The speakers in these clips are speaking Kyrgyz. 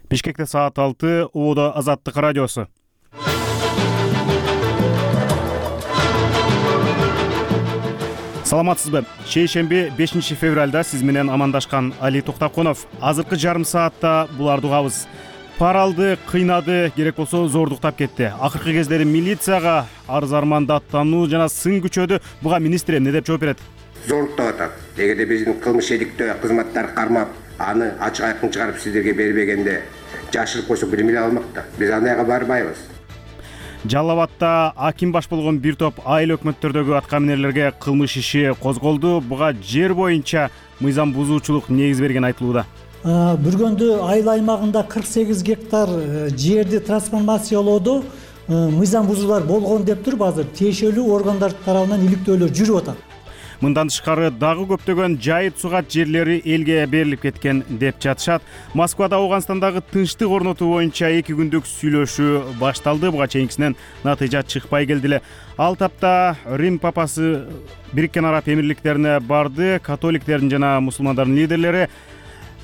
Бишкекте саат 6, Убуда Азаттык радиосу. Саламатсызбы? Шейшемби 5 февралда сиз менен амандашкан Али Токтакунов. Азыркы жарым саатта буларды угабыз. Пара алды, кыйнады, керек болсо зордуктап кетти. Акыркы кездери милицияга арыз арманды аттануу жана сын күчөдү. Буга министр эмне деп жооп берет? Зордуктап атат. Эгерде биздин кылмыш иликтөө кызматтар кармап, аны ачык айкын чыгарып сиздерге бербегенде жашырып койсок билим эле алмак да. Биз андайга барбайбыз. Жалал Абадта аким баш болгон бир топ айыл өкмөттөрдөгү аткаминерлерге кылмыш иши козголду. Буга жер боюнча мыйзам бузуучулук негиз берген айтылууда. Бүргөндү айыл аймагында 48 гектар жерди трансформациялоодо мыйзам бузуулар болгон деп туруп азыр тиешелүү органдар тарабынан иликтөөлөр жүрүп атат. Мындан тышкары дагы көптөгөн жайыт сугат жерлери элге берилип кеткен деп жатышат. Москвада Ауганстандагы тынчтык орнотуу боюнча 2 күндүк сүйлөшүү башталды. Буга чейинкисинен натыйжа чыкпай келди эле. Ал тапта Рим папасы Бириккен Араб Эмирликтерине барды. Католиктердин жана мусулмандардын лидерлери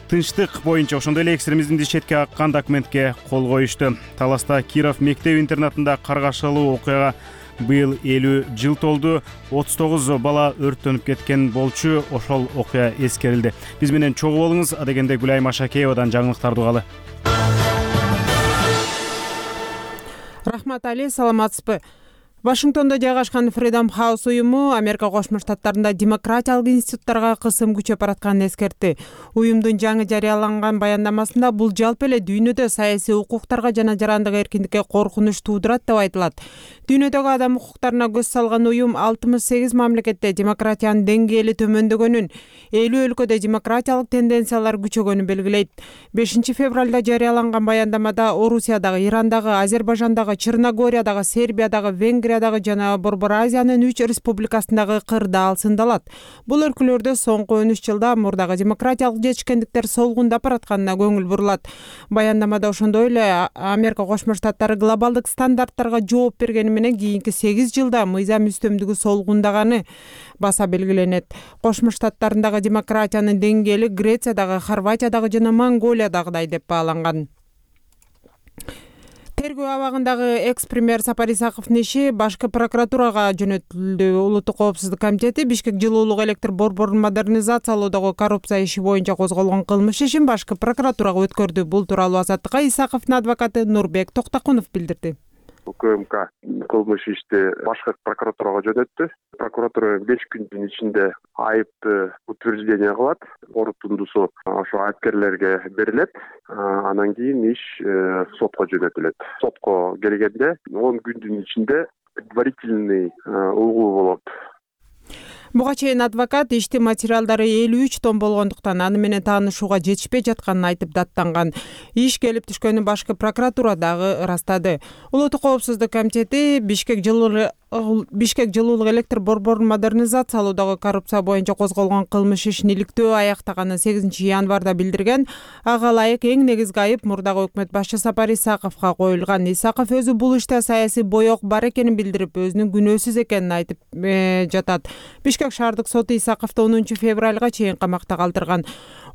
тынчтык боюнча ошондой эле экстремизмди четке каккан документке кол коюшту. Таласта Киров мектеп-интернатында каргашалуу окуяга быйыл 50 жыл толду. 39 бала өрттөнүп кеткен болчу. Ошол окуя эскерилди. Биз менен чогуу болуңуз. Адегенде Гүлай Машакеевадан жаңылыктарды угалы. Рахмат Али, саламатсызбы? Вашингтондо жайгашкан Freedom House уюму Америка Кошмо Штаттарында демократиялык институттарга кысым күчөп баратканын эскертти. Уюмдун жаңы жарыяланган баяндамасында бул жалпы эле дүйнөдө саясий укуктарга жана жарандык эркиндикке коркунуч туудурат деп айтылат. Дүйнөдөгү адам укуктарына көз салган уюм 68 мамлекетте демократиянын деңгээли төмөндөгөнүн, 50 өлкөдө демократиялык тенденциялар күчөгөнүн белгилейт. 5 февралда жарыяланган баяндамада Орусиядагы, Ирандагы, Азербайжандагы, Черногориядагы, Сербиядагы, Венгриядагы жана Борбор Азиянын 3 республикасындагы кырдаал сындалат. Бул өлкөлөрдө соңку 13 жылда мурдагы демократиялык жетишкендиктер солгундап баратканына көңүл бурулат. Баяндамада ошондой эле Америка Кошмо Штаттары глобалдык стандарттарга жооп бергени менен кийинки 8 жылда мыйзам үстөмдүгү солгундаганы баса белгиленет. Кошмо Штаттарындагы демократиянын деңгээли Грециядагы, Хорватиядагы жана Монголиядагыдай деп бааланган. Тергөө абагындагы экс-премьер Сапар Исаковдун иши башкы прокуратурага жөнөтүлдү. Улуттук коопсуздук комитети Бишкек жылуулук электр борборун модернизациялоодогу коррупция иши боюнча козголгон кылмыш ишин башкы прокуратурага өткөрдү. Бул тууралуу Азаттыкка Исаковдун адвокаты Нурбек Токтакунов билдирди. УКМК кылмыш ишти башкы прокуратурага жөнөттү. Прокуратура 5 күндүн ичинде айыпты утверждение кылат. Корутундусу ошо айыпкерлерге берилет. Анан кийин иш сотко жөнөтүлөт. Сотко келгенде 10 күндүн ичинде предварительный угуу болот. Буга чейин адвокат ишти материалдары 53 тонн болгондуктан аны менен таанышууга жетишпей жатканын айтып даттанган. Иш келип түшкөнү башкы прокуратура дагы ырастады. Улуттук коопсуздук комитети Бишкек жылуулук электр борборун модернизациялоодогу коррупция боюнча козголгон кылмыш ишин иликтөө аяктаганын 8 январда билдирген. Ага ылайык эң негизги айып мурдагы өкмөт башчы Сапар Исаковго коюлган. Исаков өзү бул иште саясий боек бар экенин билдирип, өзүнүн күнөөсүз экенин айтып жатат. Бишкек шаардык соту Исаковду 10 февралга чейин камакта калтырган.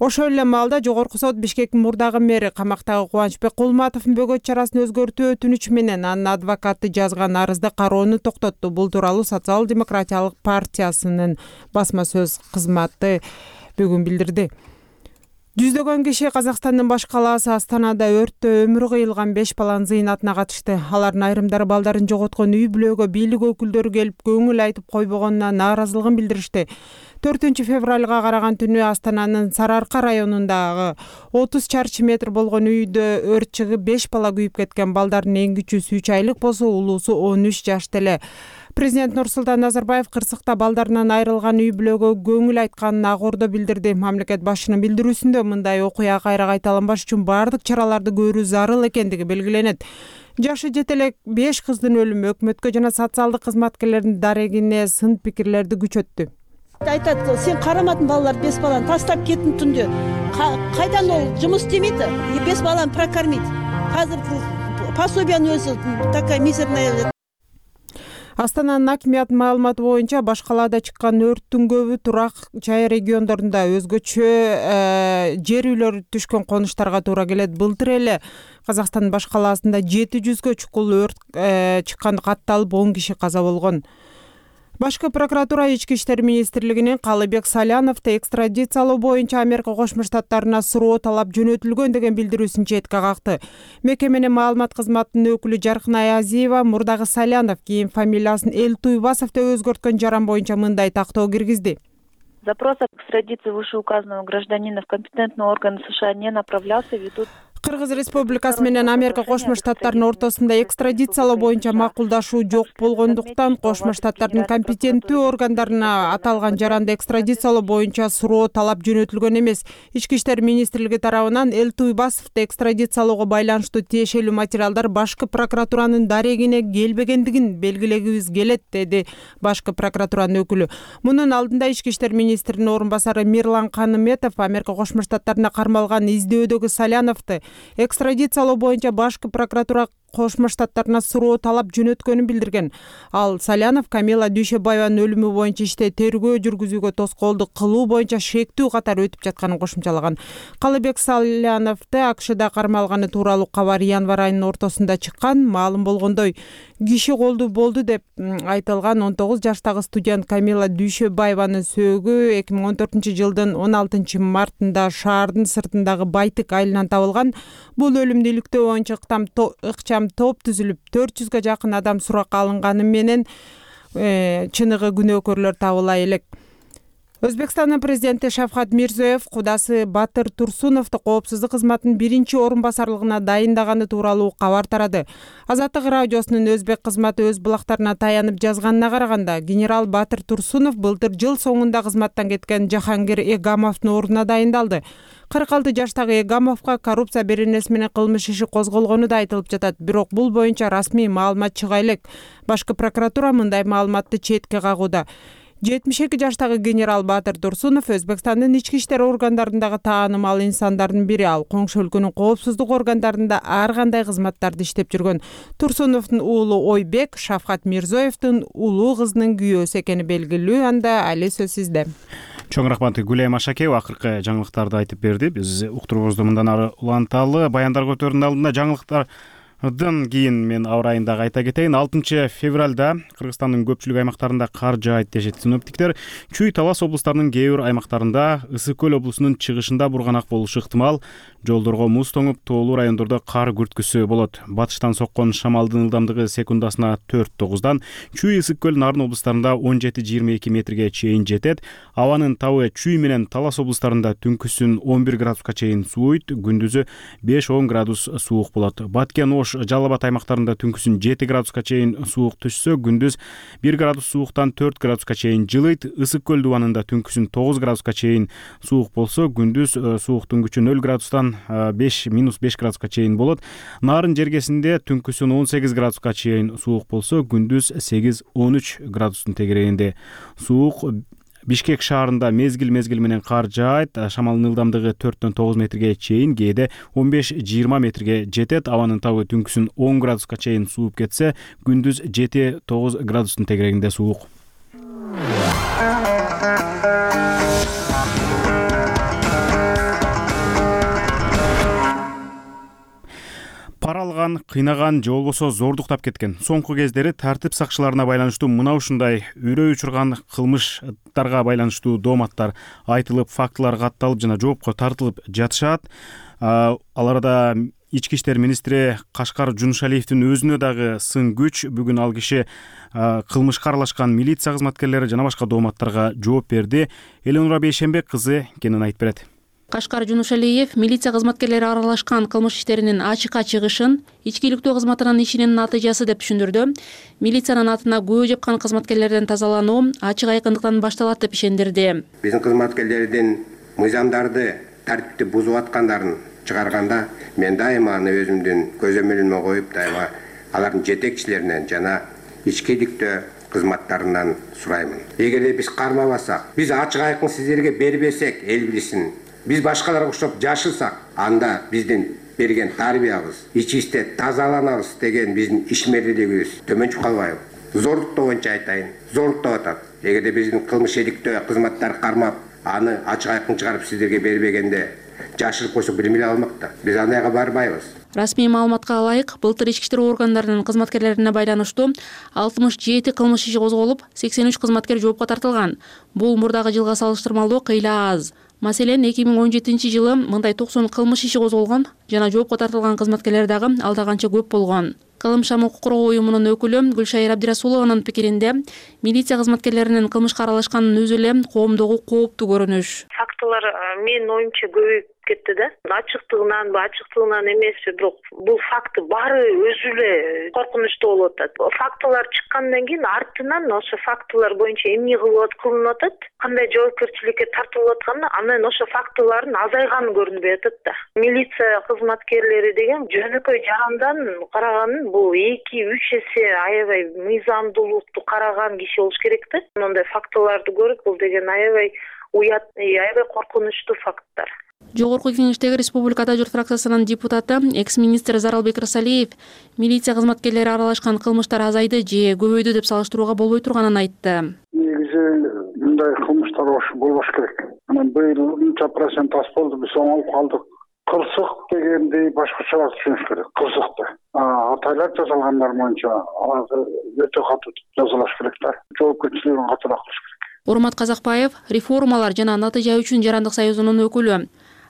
Ошол эле маалда жогорку сот Бишкектин мурдагы мэри камактагы Кубанычбек Кулматовдун бөгөт чарасын өзгөртүү өтүнүчү менен анын адвокаты жазган арызды кароону токтотту. Бул тууралуу Социал демократиялык партиясынын басма сөз кызматы бүгүн билдирди. Жүздөгөн киши Казакстандын баш калаасы Астанада өрттө өмүрү кыйылган 5 баланын зыйнатына катышты. Алардын айрымдары балдарын жоготкон үй бүлөгө бийлик өкүлдөрү келип көңүл айтып койбогонуна нааразылыгын билдиришти. 4 февралга караган түнү Астананын Сарыарка районундагы 30 чарчы метр болгон үйдө өрт чыгып 5 бала күйүп кеткен. Балдардын эң кичүүсү 3 айлык болсо, улуусу 13 жашта эле. Президент Нурсултан Назарбаев Кырсыкта балдарынан айрылган үй бүлөгө көңүл айтканын ак ордо билдирди. Мамлекет башчынын билдирүүсүндө мындай окуя кайра кайталанбаш үчүн бардык чараларды көрүү зарыл экендиги белгиленет. Жашы жете элек 5 кыздын өлүмү өкмөткө жана социалдык кызматкерлердин дарегине сын пикирлерди күчөттү. Айтат, сен карамадың балалар 5 баланы тастап кеттің түнде. Кайдан ол жұмыс істемейді? 5 баланы прокормить. Қазір пособияны өзі такая мизерная. Астананын акимиятынын маалыматы боюнча баш калаада чыккан өрттүн көбү турак жай региондорунда өзгөчө жер үйлөр түшкөн конуштарга туура келет. Былтыр эле Казакстандын баш калаасында 700гө чукул өрт чыкканы катталып 10 киши каза болгон. Башкы прокуратура Ички иштер министрлигинин Калыбек Саляновду экстрадициялоо боюнча Америка Кошмо Штаттарына суроо талап жөнөтүлгөн деген билдирүүсүн четке какты. Мекеменин маалымат кызматынын өкүлү Жаркынай Азиева мурдагы Салянов кийин фамилиясын Элтуйбасов деп өзгөрткөн жаран боюнча мындай тактоо киргизди. Запрос об экстрадиции вышеуказанного гражданина в компетентные органы США не направлялся ввиду... Кыргыз Республикасы менен Америка Кошмо Штаттарынын ортосунда экстрадициялоо боюнча макулдашуу жок болгондуктан Кошмо Штаттардын компетенттүү органдарына аталган жаранды экстрадициялоо боюнча суроо талап жөнөтүлгөн эмес. Ички иштер министрлиги тарабынан Элтуйбасовду экстрадициялоого байланыштуу тиешелүү материалдар башкы прокуратуранын дарегине келбегендигин белгилегибиз келет, деди башкы прокуратуранын өкүлү. Мунун алдында Ички иштер министринин орун басары Мирлан Каныметов Америка Кошмо Штаттарына кармалган издөөдөгү Саляновду экстрадициялоо боюнча башкы прокуратура Кошмо Штаттарына суроо талап жөнөткөнүн билдирген. Ал Салянов Камила Дүйшөбаеванын өлүмү боюнча иште тергөө жүргүзүүгө тоскоолдук кылуу боюнча шектүү катары өтүп жатканын кошумчалаган. Калыбек Саляновду АКШда кармалганы тууралуу кабар январь айынын ортосунда чыккан. Маалым болгондой, киши колду болду деп айтылган 19 жаштагы студент Камила Дүйшөбаеванын сөөгү 2014-жылдын 16 мартында шаардын сыртындагы Байтык айылынан табылган. Бул өлүмдү иликтөө боюнча ыкчам топ түзүлүп 400гө жакын адам суракка алынганы менен чыныгы күнөөкөрлөр табыла элек. Өзбекстандын президенти Шавкат Мирзиёев кудасы Батыр Турсуновду коопсуздук кызматынын биринчи орун басарлыгына дайындаганы тууралуу кабар тарады. Азаттык радиосунун өзбек кызматы өз булактарына таянып жазганына караганда, генерал Батыр Турсунов былтыр жыл соңунда кызматтан кеткен Жахангир Эгамовдун ордуна дайындалды. 46 жаштагы Эгамовго коррупция беренеси менен кылмыш иши козголгону да айтылып жатат. Бирок бул боюнча расмий маалымат чыга элек. Башкы прокуратура мындай маалыматты четке кагууда. 72 жаштагы генерал Батыр Турсунов Өзбекстандын ички иштер органдарындагы таанымал инсандардын бири. Ал коңшу өлкөнүн коопсуздук органдарында ар кандай кызматтарды иштеп жүргөн. Турсуновдун уулу Ойбек Шавкат Мирзиёевдун улуу кызынын күйөөсү экени белгилүү. Анда али сөз сизде. Чоң рахмат Гүлайым Ашакеева акыркы жаңылыктарды айтып берди. Биз уктуруубузду мындан ары уланталы. Баяндар көтөрүүнүн алдында жаңылыктардын кийин мен аба ырайындагы айта кетейин. 6 февралда Кыргызстандын көпчүлүк аймактарында кар жаайт дешет синоптиктер. Чүй, Талас облустарынын кээ бир аймактарында, Ысык көл облусунун чыгышында бурганак болушу ыктымал. Жолдорго муз тоңуп, тоолуу райондордо кар күрткүсү болот. Батыштан соккон шамалдын ылдамдыгы секундасына 4-9дан, Чүй, Ысык көл, Нарын облустарында 17-22 метрге чейин жетет. Абанын табы Чүй менен Талас облустарында түнкүсүн 11 градуска чейин сууйт, күндүзү 5-10 градус суук болот. Баткен, Ош, Жалал Абад аймактарында түнкүсүн 7 градуска чейин суук түшсө, күндүз 1 градус сууктан 4 градуска чейин жылыйт. Ысык көл дубанында түнкүсүн 9 градуска чейин суук болсо, күндүз сууктун күчү 0 градустан -5 градуска чейин болот. Нарын жергесинде түнкүсүн 18 градуска чейин суук болсо, күндүз 8-13 градустун тегерегинде суук. Бишкек шаарында мезгил менен кар жаайт. Шамалдын ылдамдыгы 4-9 метрге чейин, кээде 15-20 метрге жетет. Абанын табы түнкүсүн 10 градуска чейин сууп кетсе, күндүз 7-9 градустун тегерегинде суук. Пара алган, кыйнаган же болбосо зордуктап кеткен. Соңку кездери тартип сакчыларына байланыштуу мына ушундай үрөй учурган кылмыштарга байланыштуу дооматтар айтылып, фактылар катталып жана жоопко тартылып жатышат. Аларда Ички иштер министри Кашкар Жунушалиевдин өзүнө дагы сын күч. Бүгүн ал киши кылмышка аралашкан милиция кызматкерлери жана башка дооматтарга жооп берди. Эленура Бейшембек кызы кенен айтып берет. Кашкар Жунушалиев милиция кызматкерлери аралашкан кылмыш иштеринин ачыкка чыгышын ички иликтөө кызматынын ишинин натыйжасы деп түшүндүрдү. Милициянын атына күбө жапкан кызматкерлерден тазалануу ачык айкындыктан башталат деп ишендирди. Биздин кызматкерлердин мыйзамдарды, тартипти бузуп аткандарын чыгарганда мен дайыма аны өзүмдүн көзөмөлүмө коюп, дайыма алардын жетекчилеринен жана ички иликтөө кызматтарынан сураймын. Эгерде биз кармабасак, биз ачык айкын сиздерге бербесек, эл билсин, биз башкаларга окшоп жашырсак, анда биздин берген тарбиябыз, ичибизде тазаланабыз деген биздин ишмерлүүлүгүбүз төмөн чыгып калбайбы? зорлуктоо боюнча айтайын, зорлуктап атат. Эгерде биздин кылмыш иликтөө кызматтар кармап, аны ачык айкын чыгарып сиздерге бербегенде жашырып койсо бир эмне алмак да. Биз андайга барбайбыз. Расмий маалыматка ылайык, былтыр ички иштер органдарынын кызматкерлерине байланыштуу 67 кылмыш иши козголуп, 83 кызматкер жоопко тартылган. Бул мурдагы жылга салыштырмалуу кыйла аз. Маселен, 2017-жылы мындай 90 кылмыш иши козголгон жана жоопко тартылган кызматкерлер дагы алда канча көп болгон. Кылымшам укук коргоо уюмунун өкүлү Гүлшайыр Абдирасулованын пикиринде, милиция кызматкерлеринин кылмышка аралашканын өзү эле коомдогу кооптуу көрүнүш. Фактылар менин оюмча көбөйүп кетти да. Ачыктыгынанбы, ачыктыгынан эмеспи, бирок бул факт баары өзү эле коркунучтуу болуп атат. Фактылар чыккандан кийин артынан ошо фактылар боюнча эмне кылынып атат, кандай жоопкерчиликке тартылып атканы, анан ошо фактылардын азайганы көрүнбөй атат да. Милиция кызматкерлери деген жөнөкөй жарандан караган бул 2-3 эсе аябай мыйзамдуулукту караган киши болуш керек да. Мындай фактыларды көрүп, бул деген аябай уят, аябай коркунучтуу факттар. Жогорку Кеңештеги Республикада журт фракциясынын депутаты, экс-министр Заралбек Рысалиев милиция кызматкерлери аралашкан кылмыштар азайды же көбөйдү деп салыштырууга болбой турганын айтты. Негизи мындай кылмыштар болбош керек. Анан быйыл мынча процент аз болду, биз оңолуп калдык. Кырсык дегенди башкачараак түшүнүш керек. Кырсыкты. Атайлар жазалгандар боюнча аларды өтө катуу жазалаш керек да. Жоопкерчилигин катуураак кылыш керек. Урмат Казакбаев реформалар жана натыйжа үчүн Жарандык союзунун өкүлү.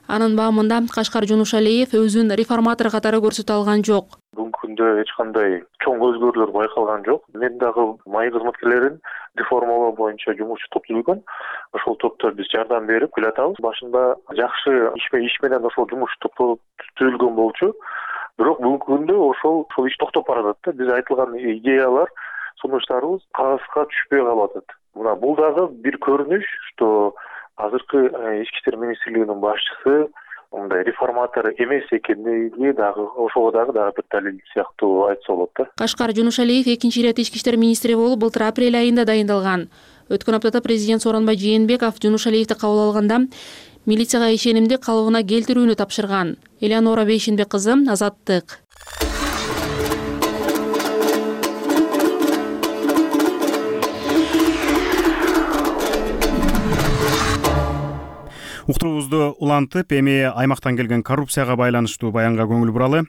Анын баамында Кашкар Жунушалиев өзүн реформатор катары көрсөтө алган жок. Бүгүнкү күндө эч кандай чоң өзгөрүүлөр байкалган жок. Мен дагы майы кызматкерлерин реформалоо боюнча жумушчу топ түзүлгөн. Ошол топто биз жардам берип келатабыз. Башында жакшы иш менен ошол жумуш топу түзүлгөн болчу. Бирок бүгүнкү күндө ошол иш токтоп баратат да. Биз айтылган идеялар, сунуштарыбыз кагазга түшпөй калып атат. Мына бул дагы бир көрүнүш, что азыркы ички иштер министрлигинин башчысы мындай реформатор эмес экендиги дагы ошого дагы бир далил сыяктуу айтса болот да. Кашкар Жунушалиев экинчи ирет ички иштер министри болуп былтыр апрель айында дайындалган. Өткөн аптада президент Сооронбай Жээнбеков Жунушалиевди кабыл алганда милицияга ишенимди калыбына келтирүүнү тапшырган. Элеонора Бейшенбек кызы, Азаттык. Уктуруубузду улантып, эми аймактан келген коррупцияга байланыштуу баянга көңүл буралы.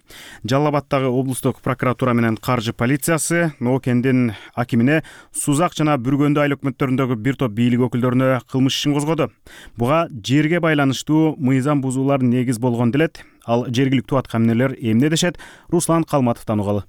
Жалал Абаддагы облустук прокуратура менен каржы полициясы Ноокендин акимине Сузак жана Бүргөндү айыл өкмөттөрүндөгү бир топ бийлик өкүлдөрүнө кылмыш ишин козгоду. Буга жерге байланыштуу мыйзам бузуулар негиз болгон делет. Ал жергиликтүү аткаминерлер эмне дешет? Руслан Калматовдон угалы.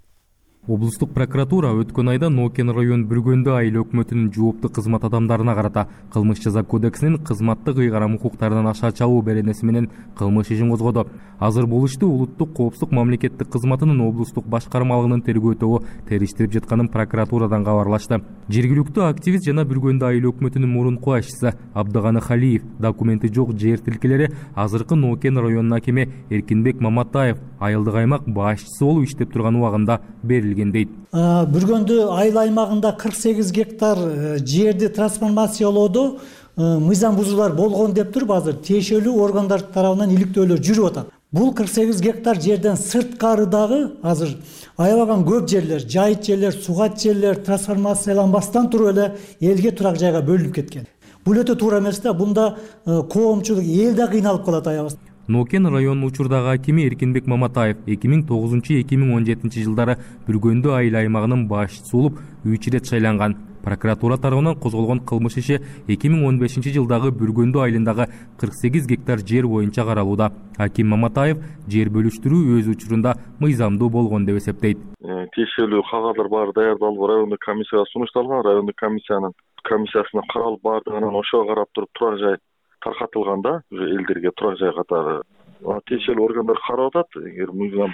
Облустук прокуратура өткөн айда Ноокен район Бүргөндү айыл өкмөтүнүн жооптуу кызмат адамдарына карата кылмыш жаза кодексинин кызматтык ыйгарым укуктарынан аша чабуу беренеси менен кылмыш ишин козгоду. Азыр бул ишти улуттук коопсуздук мамлекеттик кызматынын облустук башкармалыгынын тергөө тобу териштирип жатканын прокуратурадан кабарлашты. Жергиликтүү активист жана Бүргөндү айыл өкмөтүнүн мурунку башчысы Абдыганы Халиев документи жок жер тилкелери азыркы Ноокен районунун акими Эркинбек Маматаев айылдык аймак башчысы болуп иштеп турган убагында берилген дейт. Бүргөндү айыл аймагында 48 гектар жерди трансформациялоодо мыйзам бузуулар болгон деп туруп азыр тиешелүү органдар тарабынан иликтөөлөр жүрүп атат. Бул 48 гектар жерден сырткары дагы азыр аябаган көп жерлер, жайыт жерлер, сугат жерлер трансформацияланбастан туруп эле элге турак жайга бөлүнүп кеткен. Бул өтө туура эмес да, бунда коомчулук эл да кыйналып калат аябас. Ноокен районунун учурдагы акими Эркинбек Маматаев 2009-2017 жылдары Бүргөндү айыл аймагынын башчысы болуп 3 ирет шайланган. Прокуратура тарабынан козголгон кылмыш иши 2015 жылдагы Бүргөндү айылындагы 48 гектар жер боюнча каралууда. Аким Маматаев жер бөлүштүрүү өз учурунда мыйзамдуу болгон деп эсептейт. Тиешелүү кагаздар баары даярдалып райондук комиссияга сунушталган. Райондук комиссиясына каралып баардыгынан ошого карап туруп турак жай таркатылганда уже элдерге турак жай катары тиешелүү органдар карап атат. Эгер мыйзам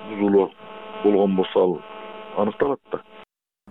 бузуулар болгон болсо аныкталат да.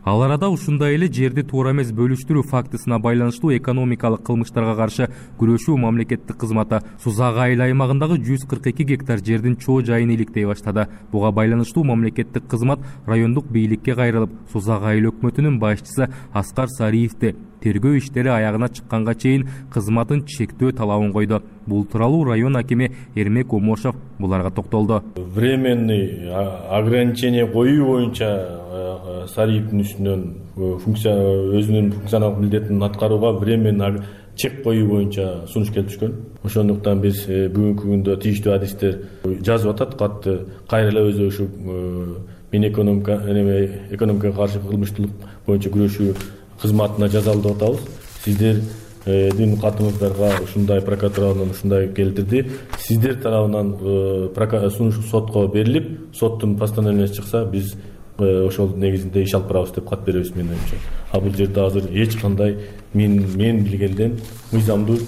Ал арада ушундай эле жерди туура эмес бөлүштүрүү фактысына байланыштуу экономикалык кылмыштарга каршы күрөшүү мамлекеттик кызматы Сузак айыл аймагындагы 142 гектар жердин чоо жайын иликтей баштады. Буга байланыштуу мамлекеттик кызмат райондук бийликке кайрылып, Сузак айыл өкмөтүнүн башчысы Аскар Сариевди тергөө иштери аягына чыкканга чейин кызматын чектөө талабын койду. Бул тууралуу район акими Эрмек Омошов буларга токтолду. Временный ограничение коюу боюнча Сариевдин үстүнөн өзүнүн функционалдык милдетин аткарууга временный чек коюу боюнча сунуш келип түшкөн. Ошондуктан биз бүгүнкү күндө тийиштүү адистер жазып атат катты кайра эле өзү ушу экономикага каршы кылмыштуулук боюнча күрөшүү кызматына жазалы деп атабыз. Сиздердин катыңыздарга ушундай прокуратуранын ушундай келтирди. Сиздер тарабынан сунуш сотко берилип, соттун постановлениясы чыкса, биз ошол негизинде иш алып барабыз деп кат беребиз менин оюмча. А бул жерде азыр эч кандай мен билгенден мыйзамдуу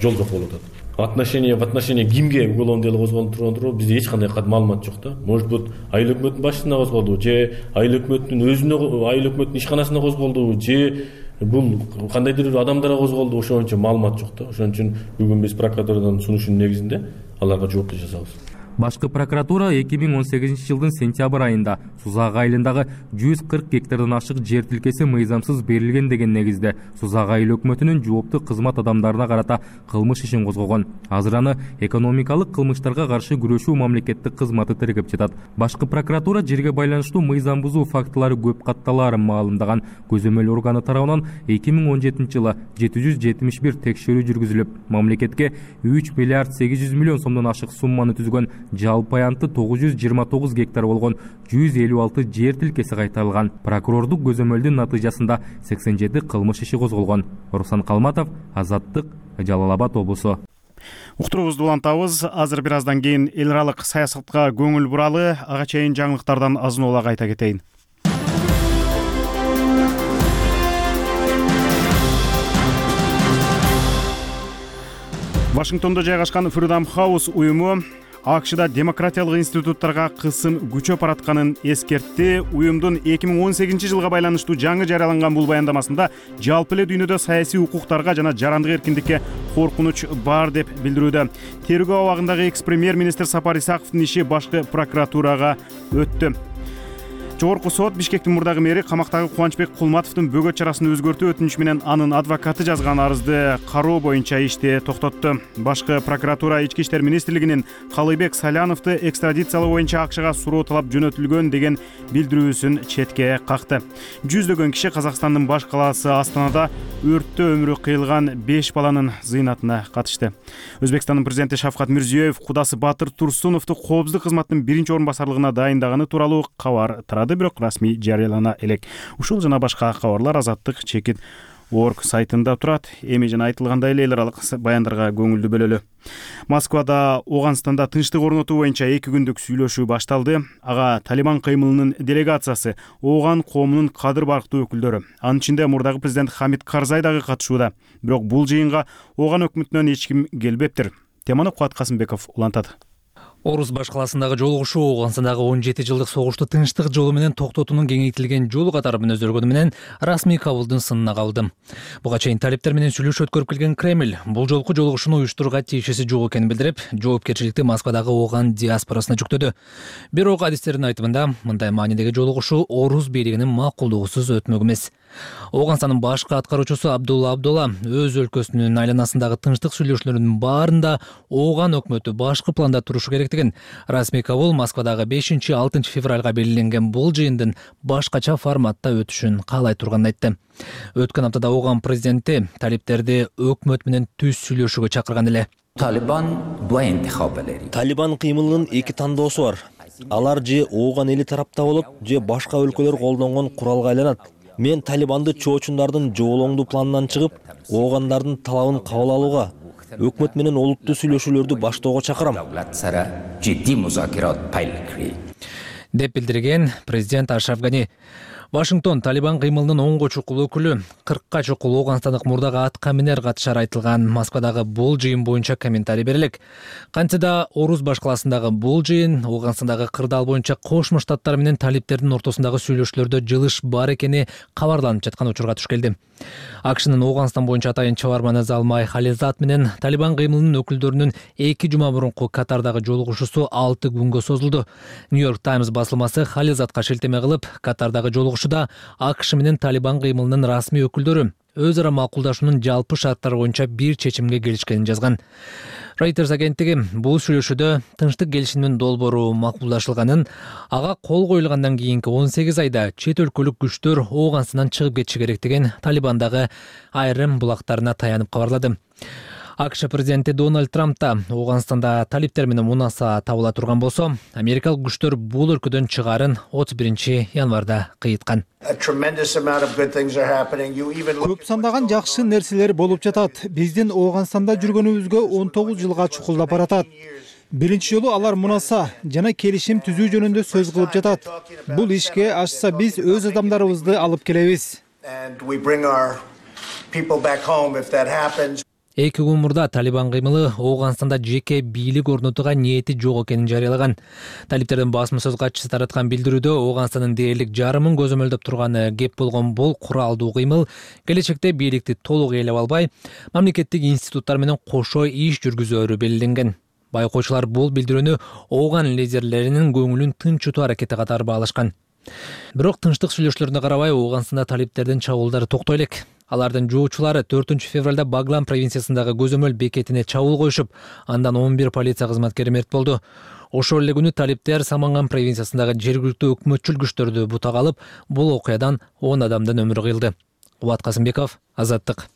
жол жок болуп атат. В отношении кимге уголовное дело козголуп турганын бизде эч кандай маалымат жок да. Может быть, айыл өкмөтүнүн башчысына козголду, же айыл өкмөтүнүн өзүнө, айыл өкмөтүнүн ишканасына козголду, же бул кандайдыр адамдарга козголду, ошончо маалымат жок да. Ошон үчүн бүгүн биз прокуратурадан сунушунун негизинде аларга жоопту жасабыз. Башкы прокуратура 2018 жылдын сентябрь айында Сузак айылындагы 140 гектардан ашык жер тилкеси мыйзамсыз берилген деген негизде Сузак айыл өкмөтүнүн жооптуу кызмат адамдарына карата кылмыш ишин козгогон. Азыр аны экономикалык кылмыштарга каршы күрөшүү мамлекеттик кызматы тергеп жатат. Башкы прокуратура жерге байланыштуу мыйзам бузуу фактылары көп катталаарын маалымдаган. Көзөмөл органы тарабынан 2017 жылы 771 текшерүү жүргүзүлүп, мамлекетке 3 миллиард 800 миллион сомдон ашык сумманы түзгөн жалпы аянты 929 гектар болгон 156 жер тилкеси кайтарылган. Прокурордук көзөмөлдүн натыйжасында 87 кылмыш иши козголгон. Руслан Калматов, Азаттык, Жалал Абад облусу. Уктуруубузду улантабыз. Азыр бир аздан кийин эл аралык саясатка көңүл буралы. Ага чейин жаңылыктардан азын-аулак айта кетейин. Вашингтондо жайгашкан Freedom House уюму АКШда демократиялык институттарга кысым күчөп баратканын эскертти. Уюмдун 2018 жылга байланыштуу жаңы жарыяланган бул баяндамасында жалпы эле дүйнөдө саясий укуктарга жана жарандык эркиндикке коркунуч бар деп билдирүүдө. Тергөө абагындагы экс-премьер-министр Сапар Исаковдун иши башкы прокуратурага өттү. Жогорку сот Бишкектин мурдагы мэри камактагы Кубанычбек Кулматовдун бөгөт чарасын өзгөртүү өтүнүчү менен анын адвокаты жазган арызды кароо боюнча ишти токтотту. Башкы прокуратура Ички иштер министрлигинин Калыйбек Саляновду экстрадициялоо боюнча АКШга суроо талап жөнөтүлгөн деген билдирүүсүн четке какты. Жүздөгөн киши Казакстандын баш калаасы Астанада өрттө өмүрү кыйылган 5 баланын зыйнатына катышты. Өзбекстандын президенти Шавкат Мирзиёев кудасы Батыр Турсуновду коопсуздук кызматтын биринчи орун басарлыгына дайындаганы тууралуу кабар тарады, бирок расмий жарыялана элек. Ушул жана башка кабарлар Азаттык чекит org сайтында турат. Эми жана айтылгандай эле эл аралык баяндарга көңүлдү бөлөлү. Москвада Ооганстанда тынчтык орнотуу боюнча 2 күндүк сүйлөшүү башталды. Ага Талибан кыймылынын делегациясы, Ооган коомунун кадыр барктуу өкүлдөрү, анын ичинде мурдагы президент Хамид Карзай дагы катышууда. Бирок бул жыйынга Ооган өкмөтүнөн эч ким келбептир. Теманы Кубат Касымбеков улантат. Орус баш калаасындагы жолугушуу Ооганстандагы 17 жылдык согушту тынчтык жолу менен токтотуунун кеңейтилген жолу катары өзгөргөнү менен расмий кабылдын сынына калды. Буга чейин талиптер менен сүйлөшүү өткөрүп келген Кремль бул жолку жолугушууну уюштурууга тиешеси жок экенин билдирип, жоопкерчиликти Москвадагы Ооган диаспорасына жүктөдү. Бирок адистердин айтымында мындай маанидеги жолугушуу Орус бийлигинин макулдугусуз өтмөк эмес. Ооганстандын башкы аткаруучусу Абдулла өз өлкөсүнүн айланасындагы тынчтык сүйлөшүүлөрдүн баарында Ооган өкмөтү башкы планда турушу керектигин, расмий кабыл Москвадагы 5-6 февралга белгиленген бул жыйындын башкача форматта өтүшүн каалай турганын айтты. Өткөн аптада Ооган президенти талиптерди өкмөт менен түз сүйлөшүүгө чакырган эле. Талибан кыймылынын 2 тандоосу бар. Алар же Ооган эли тарапта болот, же башка өлкөлөр колдонгон куралга айланат. Мен Талибанды чоочундардын жоолоңдуу планынан чыгып, Оогандардын талабын кабыл алууга, өкмөт менен олуттуу сүйлөшүүлөрдү баштоого чакырам, деп билдирген президент Ашраф Гани. Вашингтон Талибан кыймылынын 10 чукул өкүлү 40 чукул Ооганстандык мурдагы атка минер катышары айтылган Москвадагы бул жыйын боюнча комментарий берелек. Кантсе да Орус баш калаасындагы бул жыйын Ооганстандагы кырдаал боюнча Кошмо Штаттар менен талиптердин ортосундагы сүйлөшүүлөрдө жылыш бар экени кабарланып жаткан учурга туш келди. АКШнын Ооганстан боюнча атайын чабарманы Залмай Хализат менен Талибан кыймылынын өкүлдөрүнүн 2 жума мурунку Катардагы жолугушуусу 6 күнгө созулду. Нью-Йорк Таймс басылмасы Хализатка шилтеме кылып, Катардагы жолугушууда АКШ менен Талибан кыймылынын расмий өкүлдөрү өз ара макулдашуунун жалпы шарттары боюнча бир чечимге келишкенин жазган. Reuters агенттиги бул сүйлөшүүдө тынчтык келишимдин долбоору макулдашылганын, ага кол коюлгандан кийинки 18 айда чет өлкөлүк күчтөр Ооганстандан чыгып кетиши керек деген Талибандагы айрым булактарына таянып кабарлады. АКШ президенти Дональд Трамп да Ооганстанда талиптер менен мунаса табыла турган болсо, америкалык күчтөр бул өлкөдөн чыгаарын 31 январда кыйыткан. Көп сандаган жакшы нерселер болуп жатат. Биздин Ооганстанда жүргөнүбүзгө 19 жылга чукулдап баратат. Биринчи жолу алар мунаса жана келишим түзүү жөнүндө сөз кылып жатат. Бул ишке ашса биз өз адамдарыбызды алып келебиз. 2 күн мурда Талибан кыймылы Ооганстанда жеке бийлик орнотууга ниети жок экенин жарыялаган. Талиптердин басма сөз катчысы тараткан билдирүүдө Ооганстандын дээрлик жарымын көзөмөлдөп турган кеп болгон бул куралдуу кыймыл келечекте бийликти толук ээлеп албай, мамлекеттик институттар менен кошо иш жүргүзөөрү белгиленген. Байкоочулар бул билдирүүнү Ооган лидерлеринин көңүлүн тынчытуу аракети катары баалашкан. Бирок тынчтык сүйлөшүүлөрүнө карабай Ооганстанда талиптердин чабуулдары токтой элек. Алардын жоочулары 4 февралда Баглан провинциясындагы көзөмөл бекетине чабуул коюшуп, андан 11 полиция кызматкери мерт болду. Ошол эле күнү талиптер Саманган провинциясындагы жергиликтүү өкмөтчүл күчтөрдү бутак алып, бул окуядан 10 адамдын өмүрү кыйылды. Кубат Касымбеков, Азаттык.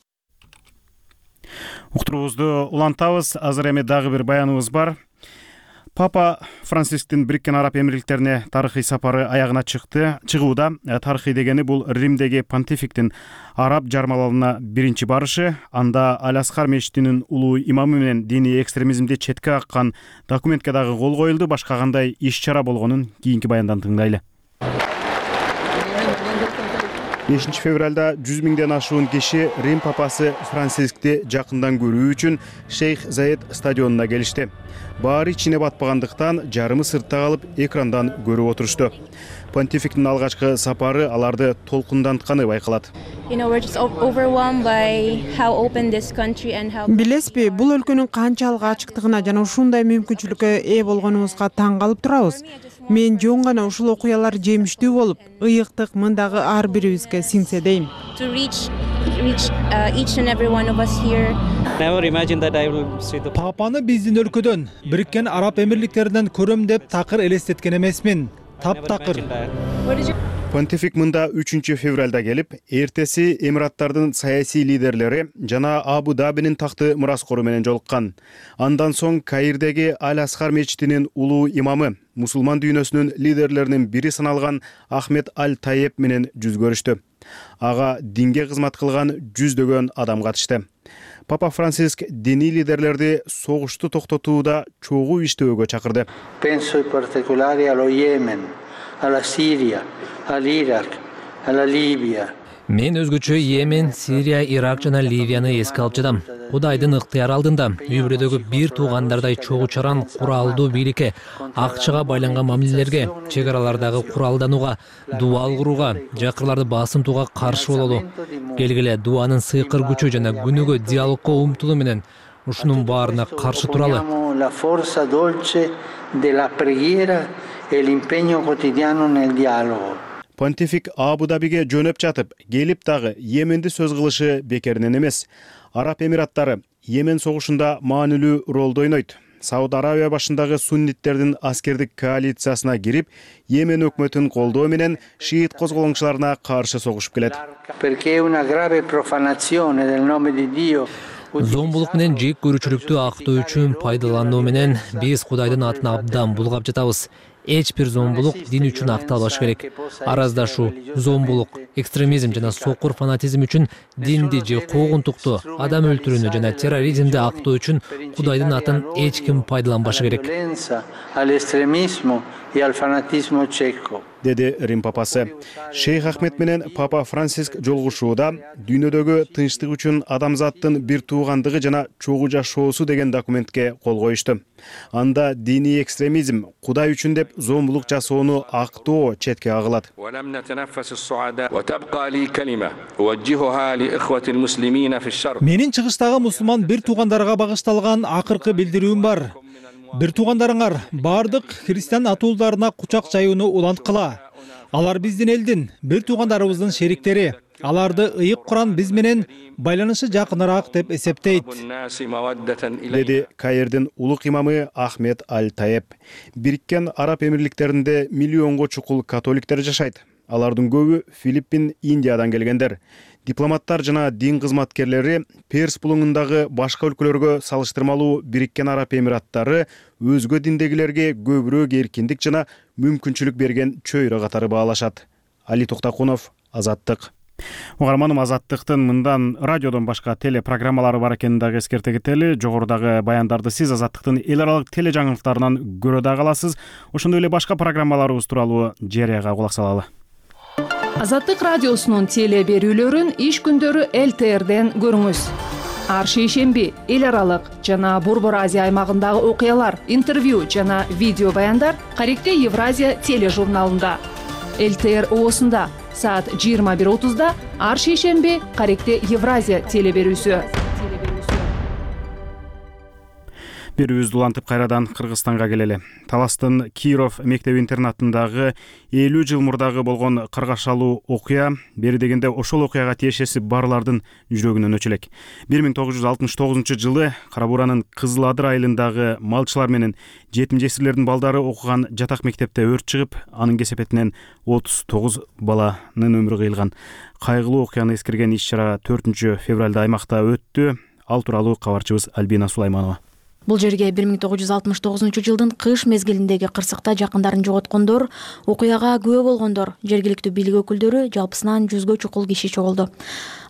Уктуруубузду улантабыз. Азыр эми дагы бир баяныбыз бар. Папа Францисктин Бириккен Араб Эмирликтерине тарыхый сапары аягына чыгууда. Тарыхый дегени бул Римдеги понтификтин араб жармаларына биринчи барышы, анда Аль-Асхар мечитинин улуу имамы менен диний экстремизмди четке каккан документке дагы кол коюлду. Башка кандай иш-чара болгонун кийинки баяндан тыңдайлы. 5 февралда 100 миңден ашуун киши Рим папасы Францискти жакындан көрүү үчүн Шейх Заед стадионуна келишти. Баары ичине батпагандыктан жарымы сыртта калып экрандан көрүп отурушту. Понтификтин алгачкы сапары аларды толкундантканы байкалат. Билесизби, бул өлкөнүн канчалык ачыктыгына жана ушундай мүмкүнчүлүккө ээ болгонубузга таң калып турабыз. Мен жөн гана ушул окуялар жемиштүү болуп, ыйыктык мындагы ар бирибизге сиңсе дейм. Папаны биздин өлкөдөн, Бириккен Араб Эмирликтеринен көрөм деп такыр элестеткен эмесмин. Таптакыр. Понтифик мында 3 февралда келип, эртеси Эмираттардын саясий лидерлери жана Абу Дабинин такты мураскору менен жолуккан. Андан соң Каирдеги Аль-Асхар мечитинин улуу имамы, мусулман дүйнөсүнүн лидерлеринин бири саналган Ахмед Аль-Таеп менен жүз көрүштү. Ага динге кызмат кылган жүздөгөн адам катышты. Папа Франциск диний лидерлерди согушту токтотууда чогуу иштөөгө чакырды. Penso in particolare allo Yemen, alla Siria, all'Iraq, alla Libia. Мен өзгөчө Йемен, Сирия, Ирак жана Ливияны эске алып жатам. Кудайдын ыктыяры алдында үй бүлөдөгү бир туугандардай чогуу чаран куралдуу бийликке, акчага байланган мамилелерге, чек аралардагы куралданууга, дуал курууга, жакырларды басымтууга каршы бололу. Келгиле дуанын сыйкыр күчү жана күнүгө диалогко умтулуу менен ушунун баарына каршы туралы. La forza dolce della preghiera e l'impegno quotidiano nel dialogo. Понтифик Абу Дабиге жөнөп жатып, келип дагы Йеменди сөз кылышы бекеринен эмес. Араб Эмираттары Йемен согушунда маанилүү ролду ойнойт. Сауд Арабия башындагы сунниттердин аскердик коалициясына кирип, Йемен өкмөтүн колдоо менен шиит козголоңчуларына каршы согушуп келет. Perché una grave profanazione del nome di Dio. Зомбулук менен жек көрүүчүлүктү актоо үчүн пайдалануу менен биз Кудайдын атын абдан булгап жатабыз. Эч бир зомбулук дин үчүн акталбаш керек. Араздашуу, зомбулук, экстремизм жана сокур фанатизм үчүн динди же куугунтукту, адам өлтүрүүнү жана терроризмди актоо үчүн Кудайдын атын эч ким пайдаланбашы керек. Деди Рим папасы. Шейх Ахмед менен Папа Франциск жолугушууда дүйнөдөгү тынчтык үчүн адамзаттын бир туугандыгы жана чогуу жашоосу деген документке кол коюшту. Анда диний экстремизм, Кудай үчүн деп зомбулук жасоону актоо четке кагылат. Менин чыгыштагы мусулман бир туугандарга багышталган акыркы билдирүүм бар. Бир туугандарыңар бардык христиан атуулдарына кучак жаюуну уланткыла. Алар биздин элдин, бир туугандарыбыздын шериктери. аларды ыйык куран биз менен байланышы жакыныраак деп эсептейт, деди Каирдин улук имамы Ахмед Аль-Таеб. Бириккен Араб Эмирликтеринде миллионго чукул католиктер жашайт. Алардын көбү Филиппин, Индиядан келгендер. Дипломаттар жана дин кызматкерлери Перс булуңундагы башка өлкөлөргө салыштырмалуу Бириккен Араб Эмираттары өзгө диндегилерге көбүрөөк эркиндик жана мүмкүнчүлүк берген чөйрө катары баалашат. Али Токтакунов, Азаттык. Угарманым, Азаттыктын мындан радиодон башка телепрограммалары бар экенин дагы эскерте кетели. Жогорудагы баяндарды сиз Азаттыктын эл аралык теле жаңылыктарынан көрө дагы аласыз. Ошондой эле башка программаларыбыз тууралуу жарыяга кулак салалы. Азаттык радиосунун теле берүүлөрүн иш күндөрү ЛТРден көрүңүз. Ар шейшемби эл аралык жана Борбор Азия аймагындагы окуялар, интервью жана видео баяндар Каректе Евразия тележурналында. ЛТР оосунда саат 21:30 ар шейшемби Каректе Евразия теле берүүсү. Берүүбүздү улантып кайрадан Кыргызстанга келели. Таластын Киров мектеп-интернатындагы 50 жыл мурдагы болгон кыргашалуу окуя бери дегенде ошол окуяга тиешеси барлардын жүрөгүнөн өчүлек. 1969 жылы Кара Буранын Кызыл Адыр айылындагы малчылар менен жетим жесирлердин балдары окуган жатак мектепте өрт чыгып, анын кесепетинен 39 баланын өмүрү кыйылган. Кайгылуу окуяны эскерген иш-чара 4 февралда аймакта өттү. Ал тууралуу кабарчыбыз Альбина Сулайманова. Бул жерге 1969 жылдын кыш мезгилиндеги кырсыкта жакындарын жоготкондор, окуяга күбө болгондор, жергиликтүү бийлик өкүлдөрү жалпысынан 100гө чукул киши чогулду.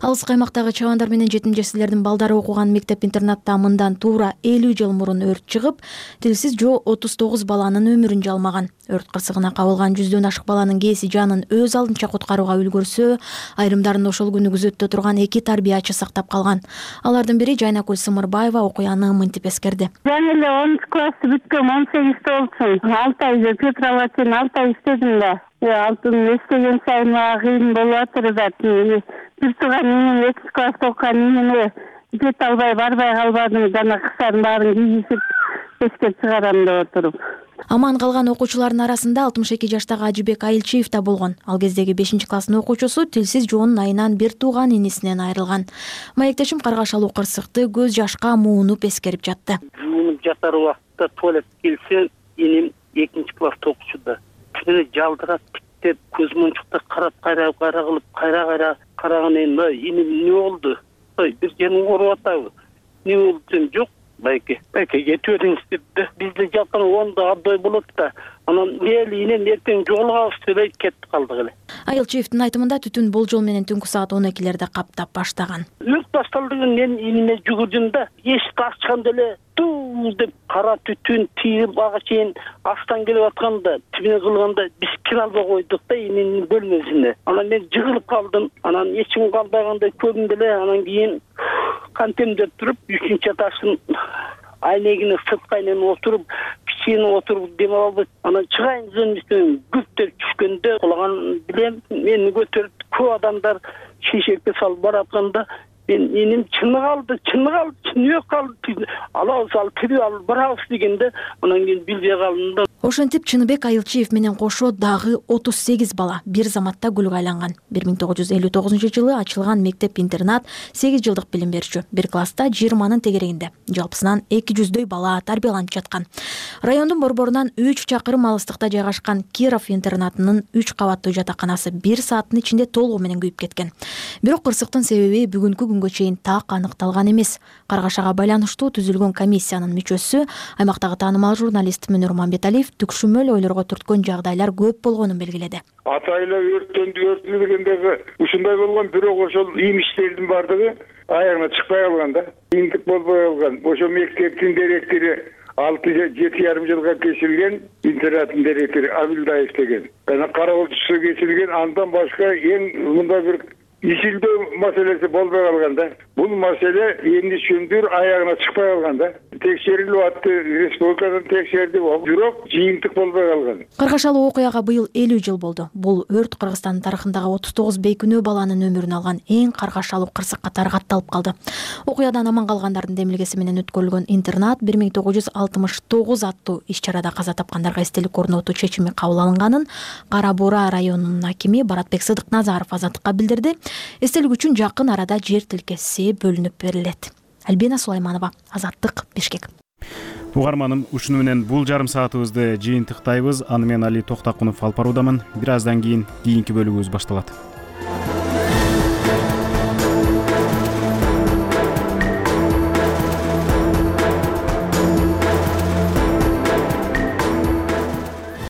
Алыс каймактагы чабандар менен жетим жесирлердин балдары окуган мектеп-интернатта мындан туура 50 жыл мурун өрт чыгып, тилсиз жоо 39 баланын өмүрүн жалмаган. Өрт кырсыгына кабылган 100дөн ашык баланын кээси жанын өз алдынча куткарууга үлгүрсө, айрымдарын ошол күнү күзөттө турган 2 тарбиячы сактап калган. Алардын бири Жайнакүл Сымырбаева окуяны мынтип эскерди. Мен эле 10 классты бүткөм, 18 болчумун. 6 ай Петровачтын 6 ай иштедим да. Алтын эстеген сайын мага кыйын болуп атыр да. Бир тууган менен 2 класста окуган менен кете албай барбай калбадым. Жана кыштардын баарын кийгизип эске чыгарам деп отуруп. Аман калган окуучулардын арасында 62 жаштагы Ажибек Айылчиев да болгон. Ал кездеги 5-класстын окуучусу тилсиз жоонун айынан бир тууган инисинен айрылган. Маектешим каргашалуу кырсыкты көз жашка муунуп эскерип жатты. Жуунуп жатар убакта туалет келсе, иним 2-класста окуучуда. Түнү жалдырап тиктеп, көз мунчукта карап кайра кылып, кайра караган иним эмне болду? Бир жерин ооруп атабы? Не болду десем, жок. Байке кетип бериңиз депти. Бизде жакын 10да абдай болот да. Анан мели инем эртең жоголгабыз деп кетип калдык эле. Айылчиевдин айтымында түтүн болжол менен түнкү саат 12-лерде каптап баштаган. Өрт башталдыгын мен иниме жүгүрдүм да, эшикти ачканда эле туу деп кара түтүн тийип ага чейин астан келип атканда, тибине кылганда биз кире албай койдук да ининин бөлмөсүнө. Анан мен жыгылып калдым. Анан эч ким калбагандай көрдүм эле. Анан кийин кантемдеп туруп 3-чү этаждын айнегине сырткы айнене отуруп, кичине отуруп дем албай, анан чыгайын десем күптеп түшкөндө кулаган билем, мени көтөрүп көп адамдар шешекке салып баратканда мен иним чыны калды, чыныгы калды. Алабыз ал тирип алып барабыз дегенде, анан кийин билбей калдым да. Ошентип Чыныбек Айылчиев менен кошо дагы 38 бала бир заматта күлгө айланган. 1959 жылы ачылган мектеп-интернат 8 жылдык билим берүүчү. Бир класста 20-нын тегерегинде. Жалпысынан 200дөй бала тарбияланып жаткан. Райондун борборунан 3 чакырым алыстыкта жайгашкан Киров интернатынын 3 кабаттуу жатаканасы 1 сааттын ичинде толугу менен күйүп кеткен. Бирок кырсыктын себеби бүгүнкү күнгө чейин так аныкталган эмес. Каргашага байланыштуу түзүлгөн комиссиянын мүчөсү, аймактагы таанымал журналист Мөнөр Мамбеталиев түкшүмөл ойлорго түрткөн жагдайлар көп болгонун белгиледи. Атайла өрттү дегендеги ушундай болгон, бирок ошол имиштердин бардыгы аягына чыкпай калган да. Ийгилик болбой калган. Ошо мектептин директору 6-7,5 жылга кесилген, интернаттын директору Абилдаев деген. Жана кароолчусу кесилген, андан башка эң мындай бир ишилдөө маселеси болбой калган да. Бул маселе эмне үчүндүр аягына чыкпай калган да. текшерилип атты, республикадан текшерди, бирок жыйынтык болбой калган. Кыргашалуу окуяга быйыл 50 жыл болду. Бул өрт Кыргызстан тарыхындагы 39 бейкүнөө баланын өмүрүн алган эң каргашалуу кырсык катары катталып калды. Окуядан аман калгандардын демилгеси менен өткөрүлгөн интернат 1969 аттуу иш-чарада каза тапкандарга эстелик орнотуу чечими кабыл алынганын Кара Буура районунун акими Баратбек Сыдыкназаров Азаттыкка билдирди. Эстелик үчүн жакын арада жер тилкеси бөлүнүп берилет. Альбина Сулайманова, Азаттык, Бишкек. Угарманым, ушуну менен бул жарым саатыбызды жыйынтыктайбыз. Аны мен Али Токтакунов алып баруудамын. Бир аздан кийин кийинки бөлүгүбүз башталат.